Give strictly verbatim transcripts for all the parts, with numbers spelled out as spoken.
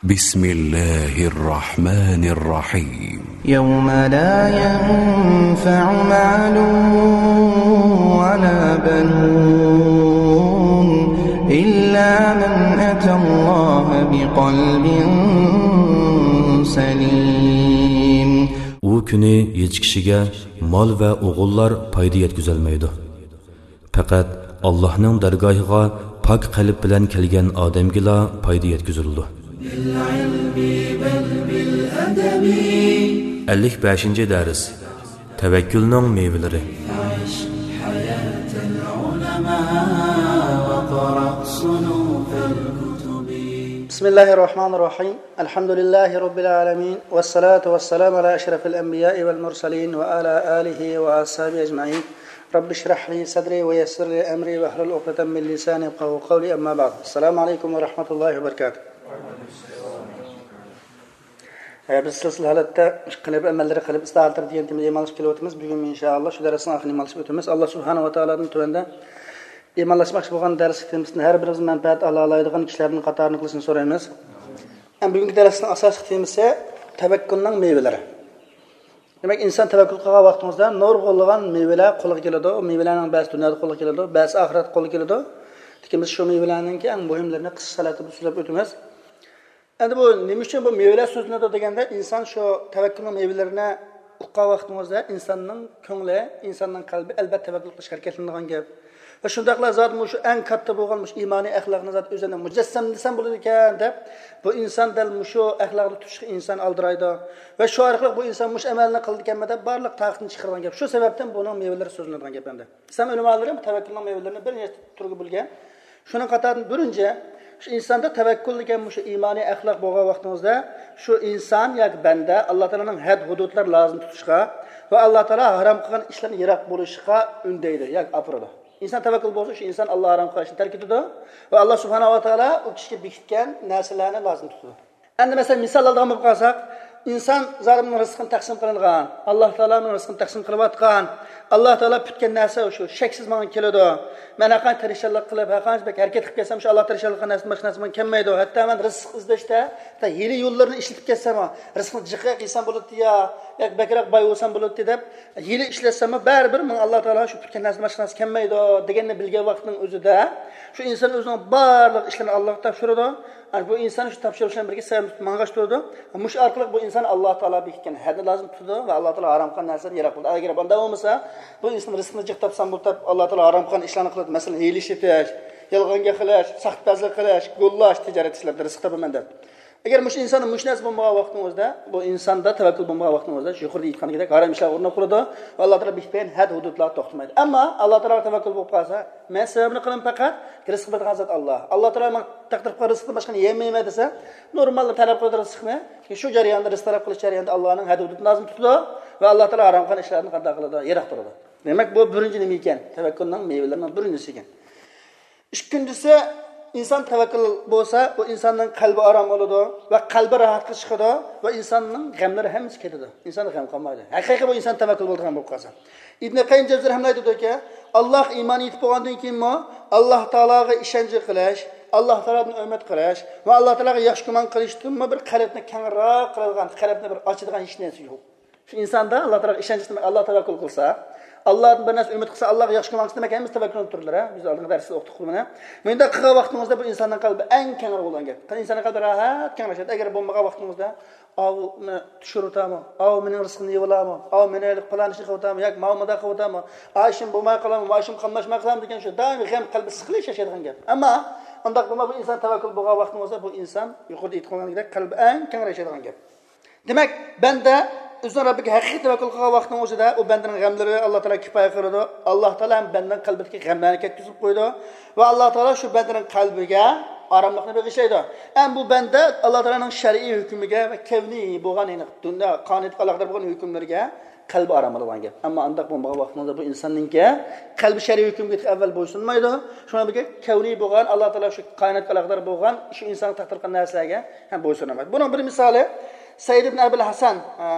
بسم الله الرحمن الرحيم. يوم لا ينفع مال ولا بنون إلا من أتى الله بقلب سليم. ئۇ كۈنى ھېچ كىشىگە مال ۋە ئوغۇللار پايدا يەتكۈزەلمەيدۇ. پەقەت ئاللاھنىڭ دەرگاھىغا پاك قەلب بىلەن كەلگەن ئادەمگىلا پايدا يەتكۈزۈلىدۇ. ئەللىك بەشىنچى دەرس. تەۋەككۈلنىڭ مېۋىلىرى. بسم الله الرحمن الرحيم. الحمد لله رب العالمين، والصلاة والسلام على أشرف الأنبياء والمرسلين وعلى آله وأصحابه أجمعين. رب اشرح لي صدري ويسر لي أمري واحلل عقدة من لساني يفقهوا قولي، أما بعد. السلام عليكم ورحمة الله وبركاته. ئە، بىز سىلسىلە ھالەتتە قەلب ئەمەللىرى، قەلب ئىسلاھاتلىرى دېگەن تېمىدا ئىمانلىشىپ كېلىۋاتىمىز. بۈگۈن، ئىنشائاللا، شۇ دەرسنىڭ ئاخىرىنى ئىمانلىشىپ ئۆتىمىز. ئاللا سۇبھانەھۇ ۋە تائالادىن تۆۋەندە ئىمانلاشماقچى بولغان دەرسلىك تېمىسىدىن ھەر بىرىمىز مەنپەئەت ئالالايدىغان كىشىلەردىن قاتارىنى قىلىشنى سورايمىز. ئەمما بۈگۈنكى دەرسنىڭ ئاساسلىق تېمىسى تەۋەككۈلنىڭ مېۋىلىرى. دېمەك، ئىنسان تەۋەككۈل قىلغان ۋاقتىڭىزدا نۇرغۇنلىغان مېۋىلەر قولغا كېلىدۇ. ئۇ مېۋىلەرنىڭ بەزىسى دۇنيادا قولغا كېلىدۇ، بەزىسى ئاخىرەتتە قولغا كېلىدۇ. لېكىن بىز شۇ مېۋىلەرنىڭكى ئەڭ مۇھىملىرىنى قىسقىچە ھالەتتە سۆزلەپ ئۆتىمىز. ئەمدى بۇ نېمە ئۈچۈن بۇ مېۋىلەر سۆزلىنىدۇ دېگەندە، ئىنسان شۇ تەۋەككۈلنىڭ مېۋىلىرىنى ئۇققان ۋاقتىڭىزدا ئىنساننىڭ كۆڭلى، ئىنساننىڭ قەلبى ئەلۋەتتە تەۋەككۈل قىلىشقا ھەرىكەتلىنىدىغان گەپ. ۋە شۇنداقلا زادى مۇشۇ ئەڭ كاتتا بولغان مۇشۇ ئىمانىي ئەخلاقنى زادى ئۆزۈمنى مۇجەسسەملىسەم بولىدىكەن دەپ، بۇ ئىنسان دەل مۇشۇ ئەخلاقنى تۇتۇشقا ئىنسان ئالدىرايدۇ. ۋە شۇ ئارقىلىق بۇ ئىنسان مۇشۇ ئەمەلنى قىلىدىكەنمەن دەپ بارلىق تاقىتىنى چىقىرىدىغان گەپ. شۇ سەۋەبتىن بۇنىڭ مېۋىلىرى سۆزلىنىدىغان گەپ ئەمدى. ئىسلام ئۆلىمالىرى بۇ تەۋەككۈلنىڭ مېۋىلىرىنى بىر نەچچە تۈرگە بۆلگەن. شۇنىڭ قاتارىدىن بىرىنچى، شۇ ئىنساندا تەۋەككۈل دېگەن مۇشۇ ئىمانىي ئەخلاق بولغان ۋاقتىڭىزدا، شۇ ئىنسان ياكى بەندە ئاللا تائالانىڭ ھەد ھۇدۇدلىرى لازىم تۇتۇشقا ۋە ئاللا تائالا ھارام قىلغان ئىشلاردىن يىراق بولۇشقا ئۈندەيدۇ ياكى ئاپىرىدۇ. ئىنسان تەۋەككۈل بولسا، شۇ ئىنسان ئاللا ھارام قىلغان ئىشنى تەرك ئېتىدۇ ۋە ئاللا سۇبھانەھۇ ۋە تائالا ئۇ كىشىگە بېكىتكەن نەرسىلەرنى لازىم تۇتىدۇ. ئەمدى مەسىلەن، مىسال ئالىدىغان بولۇپ قالساق، ئىنسان زادى مېنىڭ رىزقىم تەقسىم قىلىنغان، ئاللا تائالا مېنىڭ رىزقىمنى تەقسىم قىلىۋاتقان، ئاللا تائالا پۈتكەن نەرسە شۇ شەكسىز ماڭا كېلىدۇ. مەن ھەرقانچە تىرىشچانلىق قىلىپ، ھەرقانچە بەك ھەرىكەت قىلىپ كەلسەم، شۇ ئاللا تىرىشچانلىققا نەرسىدىن باشقا نەرسە ماڭا كەلمەيدۇ. ھەتتا مەن رىزىق ئىزدەشتە، ھەتتا ھىيلە يوللىرىنى ئىشلىتىپ كەلسەممۇ، رىزقىنى جىقراق يېسەم بولاتتى يا، ياكى بەكرەك باي بولسام بولاتتى دەپ، ھىيلە ئىشلەتسەممۇ، بەرىبىر ماڭا ئاللا تائالا شۇ پۈتكەن نەرسىدىن باشقا نەرسە كەلمەيدۇ دېگەننى بىلگەن ۋاقىتنىڭ ئۆزىدە، شۇ ئىنسان ئۆزىنىڭ بارلىق ئىشلىرىنى ئاللاغا تاپشۇرىدۇ. ئەنە بۇ ئىنسان شۇ تاپشۇرۇشلار بىلەن بىرگە سەۋەبنى تۇتۇپ ماڭغاچ تۇرىدۇ. مۇشۇ ئارقىلىق بۇ ئىنسان ئاللا تائالا بېكىتكەن ھەدنى لازىم تۇتىدۇ ۋە ئاللا تائالا ھارام قىلغان نەرسىلەردىن يىراق بولىدۇ. ئەگەر بۇنداق بولمىسا، بۇ ئىنسان رىزقىنى جىق تاپسام بولۇپ، ئاللا تائالا ھارام قىلغان ئىشلارنى قىلىدۇ. مەسىلەن، ھىيلە ئىشلىتىش، يالغان گەپ قىلىش، ساختىپەزلىك قىلىش، گوللاش، تىجارەت ئىشلىرىدا رىزىق تاپىمەن دەپ. ئەگەر مۇشۇ ئىنساندا مۇشۇ نەرسە بولمىغان ۋاقتىڭىزدا، بۇ ئىنساندا تەۋەككۈل بولمىغان ۋاقتىڭىزدا، يۇقىرىدا ئېيتقاندەك ھارام ئىشلارغا ئۇرۇنۇپ قالىدۇ ۋە ئاللا تائالا بېكىتمىگەن ھەد ھۇدۇدلارغا توختىمايدۇ. ئەمما ئاللا تائالاغا تەۋەككۈل بولۇپ قالسا، مەن سەۋەبنى قىلىمەن پەقەت، رىزىق بېرىدىغان زات ئاللا. ئاللا تائالا ماڭا تەقدىر قىلغان رىزىقتىن باشقىنى يېمەيمەن دېسە، نورمالدا تەلەپ قىلىدۇ رىزىقنى. شۇ جەرياندا، رىزىق تەلەپ قىلىش جەريانىدا ئاللانىڭ ھەد ھۇدۇدىنى لازىم تۇتىدۇ ۋە ئاللا تائالا ھارام قىلغان ئىشلاردىن قانداق قىلىدۇ؟ يىراق تۇرىدۇ. دېمەك، بۇ بىرىنچى نېمە ئىكەن؟ تەۋەككۈلنىڭ مېۋىلىرىنىڭ بىرىنچىسى ئىكەن. ئىككىنچىسى، ئىنسان تەۋەككۈل بولسا، ئۇ ئىنساننىڭ قەلبى ئارام بولىدۇ ۋە قەلبى راھەتكە چىقىدۇ ۋە ئىنساننىڭ غەملىرى ھەممىسى كېتىدۇ. ئىنساندا غەم قالمايدۇ. ھەقىقىي بۇ ئىنسان تەۋەككۈل بولىدىغان بولۇپ قالسا. ئىبن قەييىم جەۋزىي رەھمەتۇللاھى ئېيتىدۇكى، ئاللاھقا ئىمان يېتىپ بولغاندىن كېيىنمۇ ئاللا تائالاغا ئىشەنچ قىلىش، ئاللا تائالادىن ئۈمىد قىلىش ۋە ئاللا تائالاغا ياخشى گۇمان قىلىشتىنمۇ بىر قەلبنى كەڭرەك قىلىدىغان، قەلبنى بىر ئاچىدىغان ھېچ نەرسە يوق. شۇ ئىنساندا ئاللا تائالاغا ئىشەنچ، دېمەك، ئاللا تەۋەككۈل قىلسا، ئاللادىن بىر نەرسە ئۈمىد قىلسا، ئاللاغا ياخشى گۇمان قىلسا، دېمەك، ھەممىسى تەۋەككۈلنىڭ تۈرلىرى. بىز ئالدىنقى دەرستە ئوقۇدۇق بۇنى. مۇنداق قىلغان ۋاقتىڭىزدا بۇ ئىنساننىڭ قەلبى ئەڭ كەڭرى بولىدىغان گەپ. ئىنساننىڭ قەلبى راھەت، كەڭرەشىدۇ. ئەگەر بولمىغان ۋاقتىڭىزدا، ئاۋۇ مېنى چۈشۈرۈۋاتامۇ؟ ئاۋۇ مېنىڭ رىزقىمنى يەۋالامۇ؟ ئاۋۇ مېنى پالان ئىشنى قىلىۋاتامۇ؟ ياكى ماۋۇ مۇنداق قىلىۋاتامۇ؟ ئا ئىشىم بولماي قالامۇ؟ ما ئىشىم قاملاشماي قالامۇ؟ دېگەن شۇ دائىم غەم، قەلبى سىقىلىش ياشايدىغان گەپ. ئەمما ئۇنداق بولماي، بۇ ئىنسان تەۋەككۈل بولغان ۋاقتىڭىزدا، بۇ ئىنسان يۇقىرىدا ئېيتقانلىقتەك قەلبى ئەڭ كەڭرەشىدىغان گەپ. دېمەك، بەندە ئۆزىنىڭ رەببىگە ھەقىقىي تەۋەككۈل قىلغان ۋاقتىنىڭ ئۆزىدە ئۇ بەندىنىڭ غەملىرى ئاللا تائالا كىپايە قىلىدۇ. ئاللا تائالا ھەم بەندىنىڭ قەلبىدىكى غەملەرنى كەتكۈزۈپ قويىدۇ ۋە ئاللا تائالا شۇ بەندىنىڭ قەلبىگە ئاراملىقنى بېغىشلايدۇ. ھەم بۇ بەندە ئاللا تائالانىڭ شەرئىي ھۆكمىگە ۋە كەۋنىي بولغان، يەنى دۇنيا قانۇنىيەتكە ئالاقىدار بولغان ھۆكۈملىرىگە قەلبى ئارام ئالىدىغان گەپ. ئەمما ئانداق بولمىغان ۋاقتىڭىزدا بۇ ئىنساننىڭكى قەلبى شەرئىي ھۆكۈمگە ئەۋۋەل بويسۇنمايدۇ. شۇنىڭ بىلەن كەۋنىي بولغان، ئاللا تائالا شۇ كائىناتقا ئالاقىدار بولغان، شۇ ئىنسانغا تەقدىر قىلغان نەرسىلەرگە ھەم بويسۇنمايدۇ. بۇنىڭ بىر مىسالى سەئىد ئىبن ئەبىل ھەسەن، ئە،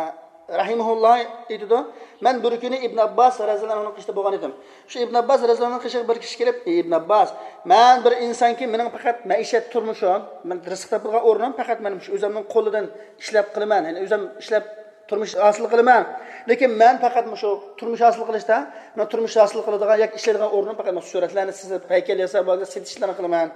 رەھىمەھۇللا ئېيتىدۇ، مەن بىر كۈنى ئىبن ئابباس رەزىيەللاھۇ ئەنھۇنىڭ قېشىدا بولغان ئىدىم. شۇ ئىبن ئابباس رەزىيەللاھۇ ئەنھۇنىڭ قېشىغا بىر كىشى كېلىپ، ئى ئىبن ئابباس، مەن بىر ئىنسانكى، مېنىڭ پەقەت مەئىشەت تۇرمۇشۇم، مەن رىزىق تاپىدىغان ئورنۇم پەقەت مەن مۇشۇ ئۆزۈمنىڭ قولىدىن ئىشلەپ قىلىمەن، يەنى ئۆزۈم ئىشلەپ تۇرمۇش ھاسىل قىلىمەن. لېكىن مەن پەقەت مۇشۇ تۇرمۇش ھاسىل قىلىشتا، مەن تۇرمۇش ھاسىل قىلىدىغان ياكى ئىشلەيدىغان ئورنۇم پەقەت مۇشۇ سۈرەتلەرنى سىزىپ، ھەيكەل ياساپ، سېتىش ئىشلىرىنى قىلىمەن.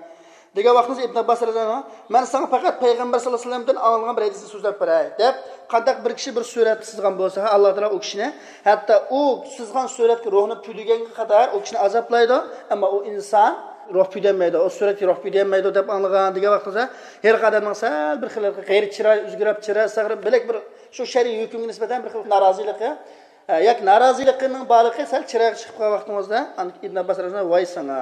دېگەن ۋاقتىمىزدا ئىبن ئابباس رەزىيەللاھۇ ئەنھۇ، مەن ساڭا پەقەت پەيغەمبەر سەللەللاھۇ ئەلەيھى ۋەسەللەمدىن ئاڭلىغان بىر ھەدىسنى سۆزلەپ بېرەي، دەپ، قانداق بىر كىشى بىر سۈرەتنى سىزغان بولسا، ئاللا تائالا ئۇ كىشىنى، ھەتتا ئۇ سىزغان سۈرەتكە روھنى پۈدىگەنگە قەدەر ئۇ كىشىنى ئازابلايدۇ، ئەمما ئۇ ئىنسان روھ پۈدەلمەيدۇ، ئۇ سۈرەتكە روھ پۈدەلمەيدۇ دەپ ئاڭلىغان دېگەن ۋاقتىمىزدا، ھېلىقى ئادەمنىڭ سەل بىر خىل غەيرىي چىرايى ئۆزگىرىپ، چىرايى سەل بىلەك بىر شۇ شەرئىي ھۆكۈمگە نىسبەتەن بىر خىل نارازىلىقى، ھە، ياكى نارازىلىقىنىڭ بارلىقى سەل چىرايغا چىقىپ قالغان ۋاقتىڭىزدا، ئىبن ئابباس رەزىيەللاھۇ ئەنھۇ، ۋاي ساڭا!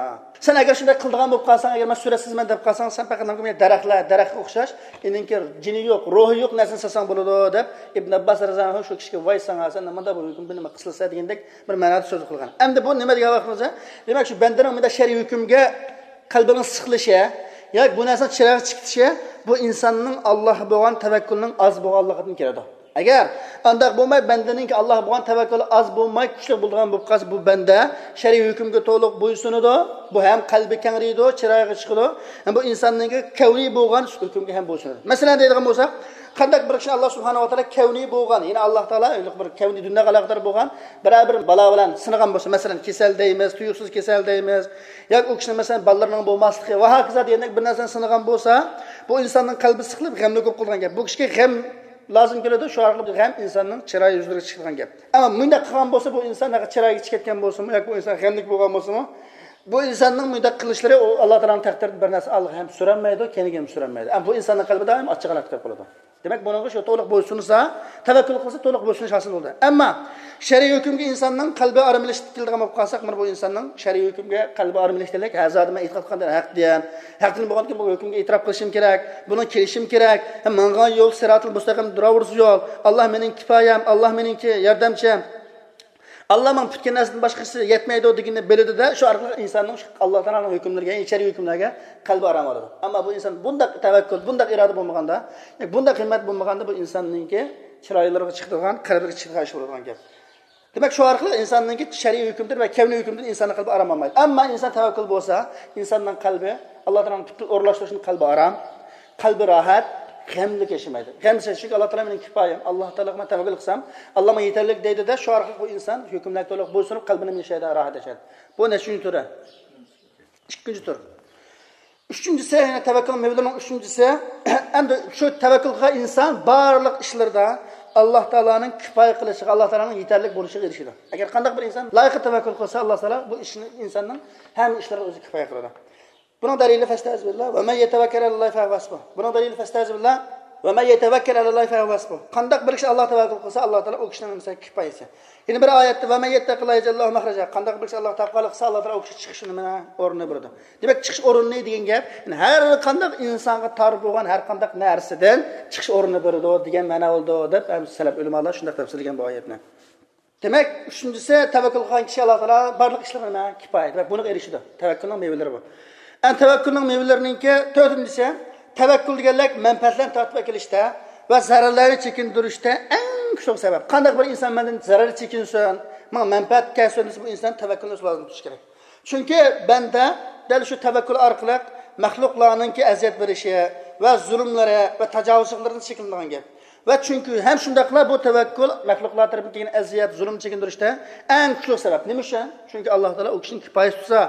سەن ئەگەر شۇنداق قىلىدىغان بولۇپ قالساڭ، ئەگەر مەن سۈرەت سىزىمەن دەپ قالساڭ، سەن پەقەت نېمە دەرەخلەر، دەرەخكە ئوخشاش، ئېنىڭكى جېنى يوق، روھى يوق نەرسىنى سالساڭ بولىدۇ، دەپ ئىبن ئابباس رەزىيەللاھۇ ئەنھۇ شۇ كىشىگە، ۋاي ساڭا، سەن نېمانداق بىر ھۆكۈم، بۇ نېمە قىلسا دېگەندەك بىر مەنادا سۆز قىلغان. ئەمدى بۇ نېمە دېگەن ۋاقتىمىزدا، دېمەك، شۇ بەندىنىڭ مۇنداق شەرئىي ھۆكۈمگە قەلبىنىڭ سىقىلىشى، ياكى بۇ نەرسىنىڭ چىرايغا چىقىشى، بۇ ئىنساننىڭ ئاللاھقا بولغان تەۋەككۈلىنىڭ ئاز بولغانلىقىدىن كېلىدۇ. ئەگەر ئانداق بولماي، بەندىنىڭكى ئاللاھقا بولغان تەۋەككۈلى ئاز بولماي، كۈچلۈك بولىدىغان بولۇپ قالسا، بۇ بەندە شەرئىي ھۆكۈمگە تولۇق بويسۇنىدۇ. بۇ ھەم قەلبى كەڭرىيىدۇ، چىرايغا چىقىدۇ، ھەم بۇ ئىنساننىڭكى كەۋنىي بولغان ھۆكۈمگە ھەم بويسۇنىدۇ. مەسىلەن، دەيدىغان بولساق، قانداق بىر كىشىنى ئاللا سۇبھانەھۇ ۋە تائالا كەۋنىي بولغان، يەنى ئاللا تائالا بىر كەۋنىي دۇنياغا ئالاقىدار بولغان بىرەر بىر بالا بىلەن سىنىغان بولسا، مەسىلەن، كېسەل دەيمىز، تۇيۇقسىز كېسەل دەيمىز، ياكى ئۇ كىشىنىڭ، مەسىلەن، بالىلىرىنىڭ بولماسلىقى ۋە ھاكازا دېگەندەك بىر نەرسىنى سىنىغان بولسا، بۇ ئىنساننىڭ قەلبى سىقىلىپ، غەملىك بولۇپ قالىدىغان گەپ. بۇ كىشىگە غەم لازىم كېلىدۇ، شۇ ئارقىلىق غەم ئىنساننىڭ چىراي يۈزلىرىگە چىقىدىغان گەپ. ئەمما مۇنداق قىلغان بولسا، بۇ ئىنسان ئەگەر چىرايىغا چىقىپ كەتكەن بولسىمۇ ياكى بۇ ئىنسان غەملىك بولغان بولسىمۇ، بۇ ئىنساننىڭ مۇنداق قىلىشلىرى ئۇ ئاللا تائالانىڭ تەقدىرىدىن بىر نەرسە ئالغا ھەم سۈرەلمەيدۇ، كەينىگە ھەم سۈرەلمەيدۇ. ئەمما بۇ ئىنساننىڭ قەلبى دائىم ئاچچىقلىق كېلىپ قالىدۇ. دېمەك، بۇنىڭغا شۇ تولۇق بويسۇنسا، تەۋەككۈل قىلسا، تولۇق بويسۇنۇش ھاسىل بولىدۇ. ئەمما شەرئىي ھۆكۈمگە ئىنساننىڭ قەلبى ئارام ئېلىشقا كېلىدىغان بولۇپ قالساق، مانا بۇ ئىنساننىڭ شەرئىي ھۆكۈمگە قەلبى ئارام ئېلىشتەك، ھە، زادى مەن ئېتىقاد قىلغان ھەق دىيەن، ھەق دىن بولغاندىكىن بۇ ھۆكۈمگە ئېتىراپ قىلىشىم كېرەك، بۇنىڭ كېلىشىم كېرەك، ھەم ماڭغان يول سىراتىل مۇستەقىم، دۇراۋۇرۇس يول، ئاللا مېنىڭ كىپايەم، ئاللا مېنىڭكى ياردەمچىم، ئاللا ماڭا پۈتكەن نەرسىدىن باشقىسى يەتمەيدۇ دېگىنىنى بىلىدۇ-دە، شۇ ئارقىلىق ئىنساننىڭ شۇ ئاللا تائالانىڭ ھۆكۈملىرىگە، يەنى شەرئىي ھۆكۈملەرگە قەلبى ئارام ئالىدۇ. ئەمما بۇ ئىنسان بۇنداق تەۋەككۈل، بۇنداق ئىرادە بولمىغاندا، بۇنداق ھىممەت بولمىغاندا، بۇ ئىنساننىڭكى چىرايلىرىغا چىقىدىغان، قەلبىگە چىقىدىغان ئىش بولىدىغان گەپ. دېمەك، شۇ ئارقىلىق ئىنساننىڭكى شەرئىي ھۆكۈمدىن ۋە كەۋنىي ھۆكۈمدىن ئىنساننىڭ قەلبى ئارام ئالمايدۇ. ئەمما ئىنسان تەۋەككۈل بولسا، ئىنساننىڭ قەلبى ئاللا تائالانىڭ پۈتۈن ئورۇنلاشتۇرۇشىنىڭ قەلبى ئارام، قەلبى راھەت، غەملىك ياشىمايدۇ. غەم سەن، چۈنكى ئاللا تائالا مېنىڭ كىپايەم، ئاللا تائالاغا مەن تەۋەككۈل قىلسام، ئاللا ماڭا يېتەرلىك دەيدۇ-دە، شۇ ئارقىلىق بۇ ئىنسان ھۆكۈملەرگە تولۇق بويسۇنۇپ، قەلبىنى ياشايدۇ، راھەت ياشايدۇ. بۇ نەچچىنچى تۈرى؟ ئىككىنچى تۈر. ئۈچىنچىسى، يەنە تەۋەككۈل مېۋىلىرىنىڭ ئۈچىنچىسى، ئەمدى شۇ تەۋەككۈل قىلغان ئىنسان بارلىق ئىشلىرىدا ئاللا تائالانىڭ كىپايە قىلىشىغا، ئاللا تائالانىڭ يېتەرلىك بولۇشىغا ئېرىشىدۇ. ئەگەر قانداق بىر ئىنسان لايىققا تەۋەككۈل قىلسا، ئاللا تائالا بۇ ئىشنى، ئىنساننىڭ ھەممە ئىشلىرىغا ئۆزى كىپايە قىلىدۇ. بۇنىڭ دەلىلى، فەستەئىز بىللا، ۋە مەن يەتەۋەككەل ئەلەللاھى فەھۇۋە ھەسبۇھ. بۇنىڭ دەلىلى، فەستەئىز بىللا، ۋە مەن يەتەۋەككەل ئەلەللاھى فەھۇۋە ھەسبۇھ. قانداق بىر كىشى ئاللاغا تەۋەككۈل قىلسا، ئاللا تائالا ئۇ كىشىنىڭ ھەممىسىگە كىپايىسى. يەنە بىر ئايەتتە، ۋە مەن يەتتەقىللاھە يەجئەل لەھۇ مەخرەجا. قانداق بىر كىشى ئاللاغا تەۋەككۈل قىلسا، ئاللا تائالا ئۇ كىشىگە چىقىش نېمە ئورنىنى بېرىدۇ. دېمەك، چىقىش ئورنىنى دېگەن گەپ، يەنى ھەر قانداق ئىنسانغا تار بولغان ھەر قانداق نەرسىدىن چىقىش ئورنىنى بېرىدۇ دېگەن مەنا بولىدۇ، دەپ ھەم سەلەپ ئۆلىمالار شۇنداق تەپسىرلىگەن بۇ ئايەتنى. دېمەك، ئۈچىنچىسى، تەۋەككۈل قىلغان كىشى ئاللا تائالا بارلىق ئىشلىرىغا نېمە؟ كىپايە. دېمەك، بۇنىڭغا ئېرىشىدۇ. تەۋەككۈلنىڭ مېۋىلىرى بۇ. ئەنە تەۋەككۈلنىڭ مېۋىلىرىنىڭكى تۆتىنچىسى، تەۋەككۈل دېگەنلىك مەنپەئەتلەرنى تارتىپ ئەكېلىشتە ۋە زەرەرلەرنى چېكىندۈرۈشتە ئەڭ كۈچلۈك سەۋەب. قانداق بىر ئىنسان مەندىن زەرەر چېكىنسۇن، ماڭا مەنپەئەت كەلسۇن دېسە، بۇ ئىنسان تەۋەككۈلنى لازىم تۇتۇش كېرەك. چۈنكى بەندە دەل شۇ تەۋەككۈل ئارقىلىق مەخلۇقلارنىڭكى ئەزىيەت بېرىشى ۋە زۇلۇملىرى ۋە تاجاۋۇزچىلىقلىرىدىن چېكىنىدىغان گەپ. ۋە چۈنكى ھەم شۇنداقلا بۇ تەۋەككۈل مەخلۇقلار تەرىپىدىن كەلگەن ئەزىيەت، زۇلۇم چېكىندۈرۈشتە ئەڭ كۈچلۈك سەۋەب. نېمە ئۈچۈن؟ چۈنكى ئاللا تائالا ئۇ كىشىنىڭ كىپايىسى تۇتسا،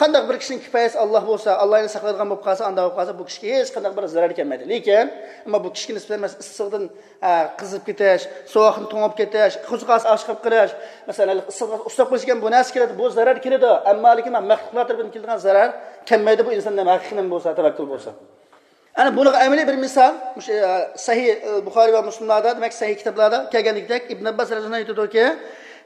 قانداق بىر كىشىنىڭ كىپايىسى ئاللا بولسا، ئاللا يەنە ساقلايدىغان بولۇپ قالسا، ئانداق بولۇپ قالسا، بۇ كىشىگە ھېچقانداق بىر زەرەر كەلمەيدۇ. لېكىن، ئەمما بۇ كىشىگە نىسبەتەن، مەسىلەن، ئىسسىقتىن، ئە، قىزىپ كېتىش، سوغۇقتىن توڭۇپ كېتىش، قورسىقى ئاچ-، ئاچىقىپ قېلىش، مەسىلەن، ئىسسىققا ئۇسساپ قېلىش دېگەن بۇ نەرسە كېلىدۇ، بۇ زەرەر كېلىدۇ. ئەمما لېكىن مەخلۇقلار تەرىپىدىن كېلىدىغان زەرەر كەلمەيدۇ، بۇ ئىنسان نېمە ھەقىقىي نېمە بولسا، تەۋەككۈل بولسا. ئەنە بۇنىڭغا ئەمەلىي بىر مىسال، مۇشۇ، ئە، سەھىھ، ئە، بۇخارىي ۋە مۇسلىملاردا، دېمەك، سەھىھ كىتابلاردا كەلگەندىكىدەك، ئىبن ئابباس رەزىياللاھۇ ئەنھۇ ئېيتىدۇكى،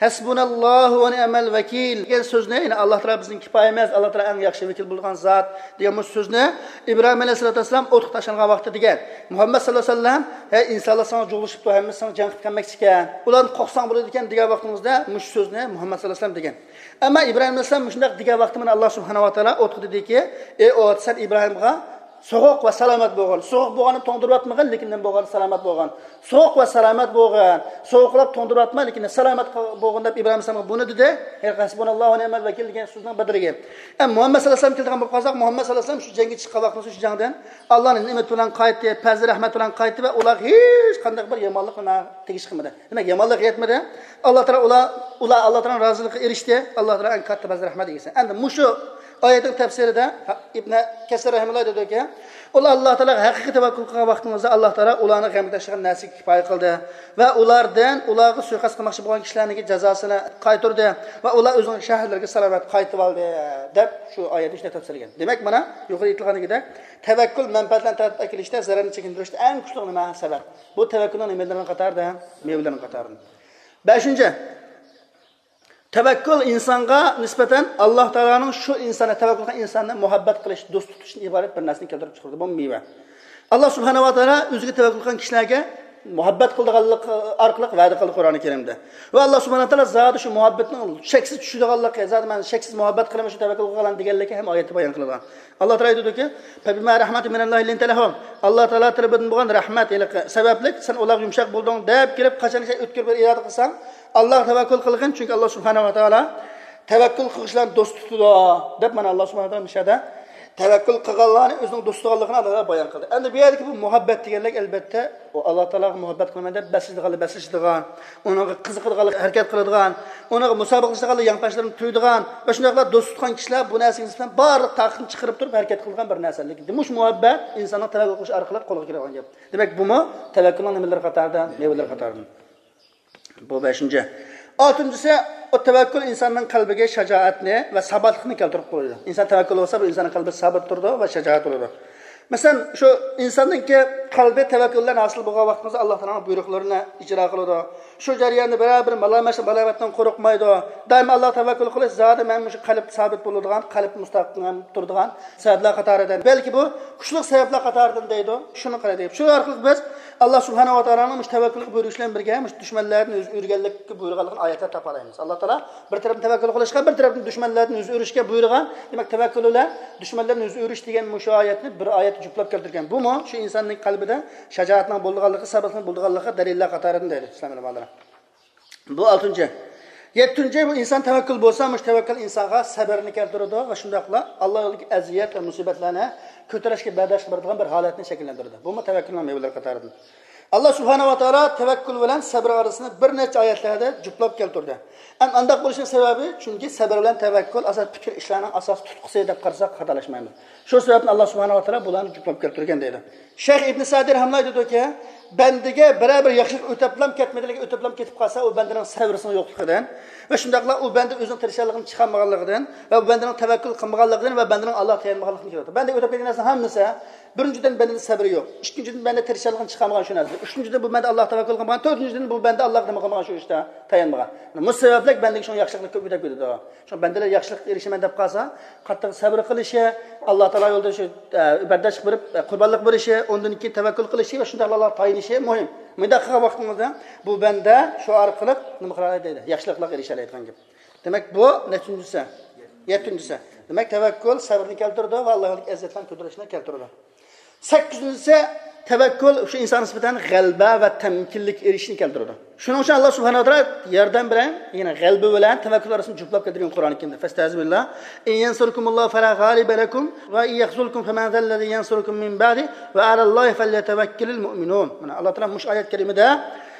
ھەسبۇناللاھۇ ۋە نىئمەل ۋەكىل دېگەن سۆزنى، يەنى، ئاللا تائالا بىزنىڭ كىپايىمىز، ئاللا تائالا ئەڭ ياخشى ۋەكىل بولىدىغان زات دېگەن مۇشۇ سۆزنى ئىبراھىم ئەلەيھىسسالاتۇ ۋەسسالام ئوتقا تاشلانغان ۋاقتىدا دېگەن. مۇھەممەد ساللاللاھۇ ئەلەيھى ۋەسەللەم، ھەي، ئىنسانلار ساڭا جۇغلىشىپتۇ، ھەممىسى ساڭا جەڭ قىلىپ كەلمەكچىكەن. ئۇلاردىن قورقساڭ بولىدىكەن دېگەن ۋاقتىڭىزدا مۇشۇ سۆزنى مۇھەممەد ساللاللاھۇ ئەلەيھى ۋەسەللەم دېگەن. ئەمما ئىبراھىم ئەلەيھىسسالام مۇشۇنداق دېگەن ۋاقتى مانا ئاللا سۇبھانەھۇ ۋە تائالا ئوتقا دېدىكى، ئەي ئوت، سەن ئىبراھىمغا سوغۇق ۋە سالامەت بولغىن. سوغۇق بولغاننى توڭدۇرۇۋاتمىغىن، لېكىن نېمە بولغان؟ سالامەت بولغىن. سوغۇق ۋە سالامەت بولغىن. سوغۇقلاپ توڭدۇرۇۋاتما، لېكىن سالامەت بولغىن دەپ ئىبراھىم ئەلەيھىسسالامغا بۇنى دېدى. ھەسبۇناللاھۇ ۋە نىئمەل ۋەكىل دېگەن سۆزنىڭ بىردىكى. ئە، مۇھەممەد سەللەللاھۇ ئەلەيھى ۋەسەللەم كېلىدىغان بولۇپ قالساق، مۇھەممەد سەللەللاھۇ ئەلەيھى ۋەسەللەم شۇ جەڭگە چىققان ۋاقتىدا شۇ جەڭدىن ئاللانىڭ نېمىتى بىلەن قايتتى، پەزلى رەھمەت بىلەن قايتتى ۋە ئۇلارغا ھېچ قانداق بىر يامانلىق نېمە تېگىش قىلمىدى. دېمەك، يامانلىق يەتمىدى. ئاللا تائالا ئۇلار، ئۇلار ئاللا تائالانىڭ رازىلىقىغا ئېرىشتى. ئاللا تائالا ئەڭ كاتتا پەزلى رەھمەت ئىگىسى. ئەمدى مۇشۇ ئايەتنىڭ تەپسىرىدە ئىبنى كەسىر رەھىمەھۇللاھ دەيدۇكى، ئۇلار ئاللا تائالاغا ھەقىقىي تەۋەككۈل قىلغان ۋاقتىڭىزدا ئاللا تائالا ئۇلارنىڭ غەمگە تاشلىغان نەرسىگە كىپايە قىلدى ۋە ئۇلاردىن ئۇلارغا سۇيىقەست قىلماقچى بولغان كىشىلەرنىڭكى جازاسىنى قايتۇردى ۋە ئۇلار ئۆزىنىڭ شەھەرلىرىگە سالامەت قايتىۋالدى، دەپ شۇ ئايەتنى شۇنداق تەپسىرلىگەن. دېمەك، مانا يۇقىرىدا ئېيتىلغاندىكىدەك، تەۋەككۈل مەنپەئەتلەرنى تارتىپ ئەكېلىشتە، زەرەرنى چېكىندۈرۈشتە ئەڭ كۈچلۈك نېمە؟ سەۋەب. بۇ تەۋەككۈلنىڭ نېمىلىرىنىڭ قاتارىدا؟ مېۋىلىرىنىڭ قاتارىدا. بەشىنچى، تەۋەككۈل ئىنسانغا نىسبەتەن ئاللا تائالانىڭ شۇ ئىنساننى، تەۋەككۈل قىلغان ئىنساننى مۇھەببەت قىلىش، دوست تۇتۇشتىن ئىبارەت بىر نەرسىنى كەلتۈرۈپ چىقىرىدۇ، بۇ مېۋە. ئاللا سۇبھانەھۇ ۋە تائالا ئۆزىگە تەۋەككۈل قىلغان كىشىلەرگە مۇھەببەت قىلىدىغانلىقى ئارقىلىق ۋەدە قىلدى قۇرئان كەرىمدە. ۋە ئاللا سۇبھانەھۇ ۋە تائالا زادى شۇ مۇھەببەتنىڭ شەكسىز چۈشىدىغانلىقى، زادى مەن شەكسىز مۇھەببەت قىلىمەن شۇ تەۋەككۈل قىلغانلارنى دېگەنلىكى ھەم ئايەتتە بايان قىلىنغان. ئاللا تائالا ئېيتىدۇكى، فَبِمَا رَحْمَةٍ مِنَ اللَّهِ لِنْتَ لَهُمْ. ئاللا تائالا تەرىپىدىن بولغان رەھمەت ھېلىقى سەۋەبلىك سەن ئۇلارغا يۇمشاق بولدۇڭ دەپ كېلىپ، قاچان ئۆتكۈر بىر ئىرادە قىلساڭ، ئاللاغا تەۋەككۈل قىلغىن، چۈنكى ئاللا سۇبھانەھۇ ۋە تائالا تەۋەككۈل قىلغۇچىلارنى دوست تۇتىدۇ، دەپ مانا ئاللا سۇبھانەھۇ ۋە تائالا مۇشۇ يەردە تەۋەككۈل قىلغانلارنى ئۆزىنىڭ دوستى تۇتىدىغانلىقىنى ئاللا تائالا بايان قىلدى. ئەمدى بۇ يەردىكى بۇ مۇھەببەت دېگەنلىك، ئەلبەتتە، ئۇ ئاللا تائالاغا مۇھەببەت قىلىمەن دەپ بەسلىشىدىغانلار بەسلىشىدىغان، ئۇنىڭغا قىزىقىدىغانلار ھەرىكەت قىلىدىغان، ئۇنىڭغا مۇسابىقىلىشىدىغانلار يانپاشلىرىنى تۇيىدىغان ۋە شۇنداقلا دوست تۇتقان كىشىلەر بۇ نەرسىگە نىسبەتەن بارلىق تاقىتىنى چىقىرىپ تۇرۇپ ھەرىكەت قىلىدىغان بىر نەرسە. لېكىن مۇشۇ مۇھەببەت ئىنساننىڭ تەۋەككۈل قىلىشى ئارقىلىق قولغا كېلىدىغان گەپ. دېمەك، بۇمۇ تەۋەككۈلنىڭ نېمىلىرى قاتارىدا؟ مېۋىلىرى قاتارىدا. بۇ بەشىنچى. ئالتىنچىسى، ئۇ تەۋەككۈل ئىنساننىڭ قەلبىگە شاجائەتنى ۋە ساباتلىقنى كەلتۈرۈپ قويىدۇ. ئىنسان تەۋەككۈل بولسا، بۇ ئىنساننىڭ قەلبى سابىت تۇرىدۇ ۋە شاجائەت بولىدۇ. مەسىلەن، شۇ ئىنساننىڭكى قەلبى تەۋەككۈل بىلەن ھاسىل بولغان ۋاقتىمىزدا ئاللا تائالانىڭ بۇيرۇقلىرىنى ئىجرا قىلىدۇ. شۇ جەرياندا بىرەر بىر مالامەت-، مالامەتتىن قورقمايدۇ. دائىم ئاللاغا تەۋەككۈل قىلىش زادى مەن مۇشۇ قەلب سابىت بولىدىغان، قەلب مۇستەھكەم تۇرىدىغان سەۋەبلەر قاتارىدىن. بەلكى بۇ كۈچلۈك سەۋەبلەر قاتارىدىن دەيدۇ. شۇنى قىلىدۇ. شۇ ئارقىلىق بىز ئاللا سۇبھانەھۇ ۋە تائالانىڭ مۇشۇ تەۋەككۈلگە بۇيرۇشى بىلەن بىرگە مۇشۇ دۈشمەنلەردىن يۈز ئۆرۈگەنلىككە بۇيرۇغانلىقىنى ئايەتلەردە تاپالايمىز. ئاللا تائالا بىر تەرەپتىن تەۋەككۈل قىلىشقا، بىر تەرەپتىن دۈشمەنلەردىن يۈز ئۆرۈشكە بۇيرۇغان. دېمەك، تەۋەككۈل بىلەن دۈشمەنلەردىن يۈز ئۆرۈش دېگەن مۇشۇ ئايەتنى بىر ئايەتتە جۈپلەپ كەلتۈرگەن. بۇمۇ شۇ ئىنساننىڭ قەلبىدە شاجائەتنىڭ بولىدىغانلىقى، سابىتنىڭ بولىدىغانلىقىغا دەلىللەر قاتارىدىن دەيدۇ ئىسلام ئۆلىمالىرى. بۇ ئالتىنچى. يەتتىنچى، بۇ ئىنسان تەۋەككۈل بولسا، مۇشۇ تەۋەككۈل ئىنسانغا سەبرنى كەلتۈرىدۇ ۋە شۇنداقلا ئاللا يولىدىكى ئەزىيەت ۋە مۇسىبەتلەرنى كۆتۈرۈشكە بەرداشلىق بېرىدىغان بىر ھالەتنى شەكىللەندۈرىدۇ. بۇمۇ تەۋەككۈلنىڭ مېۋىلىرى قاتارىدىن. ئاللا سۇبھانەھۇ ۋە تائالا تەۋەككۈل بىلەن سەبر ئارىسىنى بىر نەچچە ئايەتلەردە جۈپلاپ كەلتۈردى. ھەم ئانداق بولۇشىنىڭ سەۋەبى، چۈنكى سەبر بىلەن تەۋەككۈل ئاساس پۈتكۈل ئىشلارنىڭ ئاساس تۇتقىسى دەپ قارىساق خاتالاشمايمىز. شۇ سەۋەبتىن ئاللا سۇبھانەھۇ ۋە تائالا بۇلارنى جۈپلاپ كەلتۈرگەن دەيدۇ. شەيخ ئىبن سەئدى رەھىمەھۇللاھ دەيدۇكى، بەندىگە بىرەر بىر ياخشىلىق ئۆتەپلام كەتمىدى، ئۆتەپلام كېتىپ قالسا، ئۇ بەندىنىڭ سەۋرىسىنىڭ يوقلۇقىدىن ۋە شۇنداقلا ئۇ بەندە ئۆزىنىڭ تىرىشچانلىقىنى چىقارمىغانلىقىدىن ۋە بەندىنىڭ تەۋەككۈل قىلمىغانلىقىدىن ۋە بەندىنىڭ ئاللاغا تايانمىغانلىقىدىن كېلىدۇ. بەندىگە ئۆتۈپ كەتكەن نەرسىنىڭ ھەممىسى، بىرىنچىدىن، بەندىدە سەۋر يوق. ئىككىنچىدىن، بەندە تىرىشچانلىقىنى چىقارمىغان شۇ نەرسىدىن. ئۈچىنچىدىن، بۇ بەندە ئاللاغا تەۋەككۈل قىلمىغان. تۆتىنچىدىن، بۇ بەندە ئاللاغا نېمە قىلمىغان، شۇ ئىشتا تايانمىغان. مۇشۇ سەۋەبلىك بەندىگە شۇنىڭ ياخشىلىقلىرى كۆپ ئۆتۈپ كېتىدۇ. شۇڭا بەندىلەر ياخشىلىققا ئېرىشىمەن دەپ قالسا، قاتتىق سەۋر قىلىشى، ئاللا تائالا يولىدا شۇ، ئە، بەرداشلىق بېرىپ، ئە، قۇربانلىق بېرىشى، ئۇندىن كېيىن تەۋەككۈل قىلىشى ۋە شۇنداق ئاللاغا تايىنىشى مۇھىم. مۇنداق قىلغان ۋاقتىڭىزدا بۇ بەندە شۇ ئارقىلىق نېمە قىلالايدۇ دەيدۇ، ياخشىلىقلارغا ئېرىشەلەيدىغان گەپ. دېمەك، بۇ نەچچىنچىسى؟ يەتتىنچىسى. دېمەك، تەۋەككۈل سەۋرنى كەلتۈرىدۇ ۋە ئاللا يولىدىكى ئەزىيەتلەرنى كۆتۈرۈشنى كەلتۈرىدۇ. سەككىزىنچىسى، تەۋەككۈل شۇ ئىنسانغا نىسبەتەن غەلىبە ۋە تەمكىنلىك ئېرىشىشنى كەلتۈرىدۇ. شۇنىڭ ئۈچۈن ئاللا سۇبھانەھۇ ۋە تائالا ياردەم بېرىڭ، يەنى غەلىبە بىلەن تەۋەككۈل ئارىسىنى جۈپلاپ كەلتۈرگەن قۇرئان كەرىمدە. فَاسْتَعِذْ بِاللَّهِ، إِنْ يَنْصُرْكُمُ اللَّهُ فَلَا غَالِبَ لَكُمْ وَإِنْ يَخْذُلْكُمْ فَمَنْ ذَا الَّذِي يَنْصُرُكُمْ مِنْ بَعْدِهِ وَعَلَى اللَّهِ فَلْيَتَوَكَّلِ الْمُؤْمِنُونَ. مانا، ئاللا تائالا مۇشۇ ئايەت كەرىمىدە،